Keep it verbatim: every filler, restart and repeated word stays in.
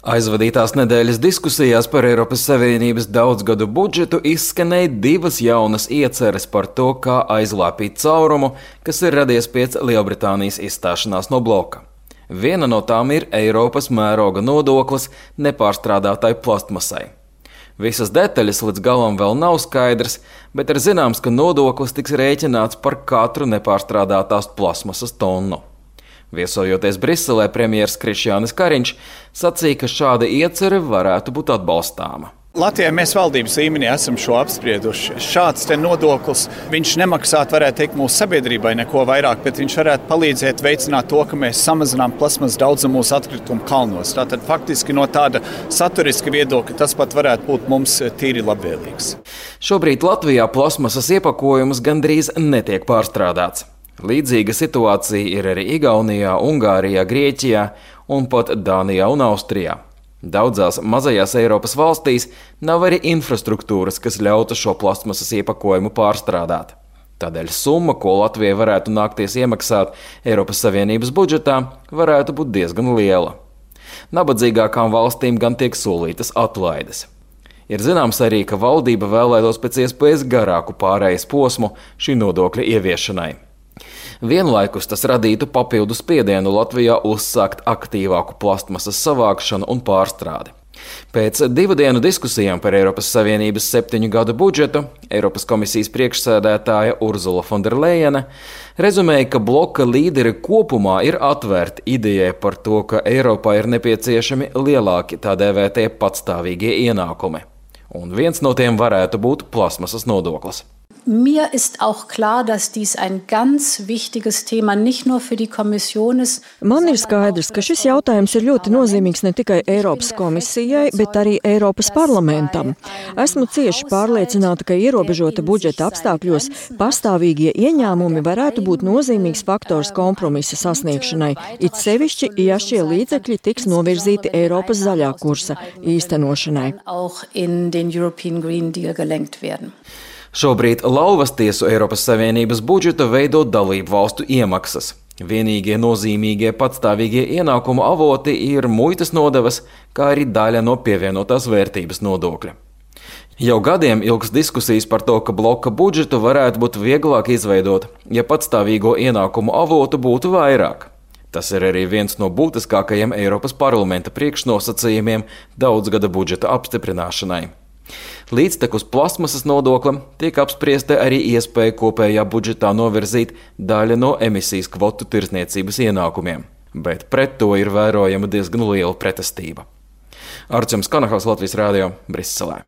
Aizvadītās nedēļas diskusijās par Eiropas Savienības daudzgadu budžetu izskanēja divas jaunas ieceres par to, kā aizlāpīt caurumu, kas ir radies pēc Lielbritānijas izstāšanās no bloka. Viena no tām ir Eiropas mēroga nodoklis nepārstrādātai plastmasai. Visas detaļas līdz galam vēl nav skaidrs, bet ir zināms, ka nodoklis tiks rēķināts par katru nepārstrādātās plasmasas tonu. Viesojoties Briselē, premjers Krišjānis Kariņš sacīja, ka šāda iecere varētu būt atbalstāma. Latvijā mēs valdības līmenī esam šo apsprieduši. Šāds te nodoklis, viņš nemaksātu, varētu teikt, mūsu sabiedrībai neko vairāk, bet viņš varētu palīdzēt veicināt to, ka mēs samazinām plasmas daudzumu mūsu atkritumu kalnos. Tātad faktiski no tāda saturiska viedokļa tas pat varētu būt mums tīri labvēlīgs. Šobrīd Latvijā plasmasas iepakojums gandrīz netiek pārstrādāts. Līdzīga situācija ir arī Igaunijā, Ungārijā, Grieķijā un pat Dānijā un Austrijā. Daudzās mazajās Eiropas valstīs nav arī infrastruktūras, kas ļautu šo plastmasas iepakojumu pārstrādāt. Tādēļ summa, ko Latvijai varētu nākties iemaksāt Eiropas Savienības budžetā, varētu būt diezgan liela. Nabadzīgākām valstīm gan tiek solītas atlaides. Ir zināms arī, ka valdība vēlētos pēc iespējas garāku pārejas posmu šī nodokļa ieviešanai. Vienlaikus tas radītu papildu spiedienu Latvijā uzsākt aktīvāku plastmasas savākšanu un pārstrādi. Pēc divu dienu diskusijām par Eiropas Savienības septiņu gadu budžetu Eiropas komisijas priekšsēdētāja Urzula Fonderlejene rezumēja, ka bloka līderi kopumā ir atvērti idejai par to, ka Eiropā ir nepieciešami lielāki tā dēvētie patstāvīgie ienākumi. Un viens no tiem varētu būt plasmasas nodoklis. Mir ist auch klar, dass dies ein ganz wichtiges Thema nicht nur für die Kommission ist. Man ir skaidrs, ka šis jautājums ir ļoti nozīmīgs ne tikai Eiropas komisijai, bet arī Eiropas parlamentam. Esmu cieši pārliecināta, ka ierobežota budžeta apstākļos pastāvīgie ieņēmumi varētu būt nozīmīgs faktors kompromisa sasniegšanai, it sevišķi, ja šie līdzekļi tiks novirzīti Eiropas zaļā kursa īstenošanai. Auch in den European Green Deal gelenkt werden. Šobrīd lauvas tiesu Eiropas Savienības budžetu veido dalību valstu iemaksas. Vienīgie nozīmīgie patstāvīgie ienākumu avoti ir muitas nodevas, kā arī daļa no pievienotās vērtības nodokļa. Jau gadiem ilgs diskusijas par to, ka bloka budžetu varētu būt vieglāk izveidot, ja patstāvīgo ienākumu avotu būtu vairāk. Tas ir arī viens no būtiskākajiem Eiropas parlamenta priekšnosacījumiem daudzgada budžeta apstiprināšanai. Līdztekus plasmasas nodoklim tiek apspriesta arī iespēja kopējā budžetā novirzīt daļu no emisijas kvotu tirdzniecības ienākumiem, bet pret to ir vērojama diezgan liela pretestība. Arčuns Kanahaus, Latvijas radio, Briselē.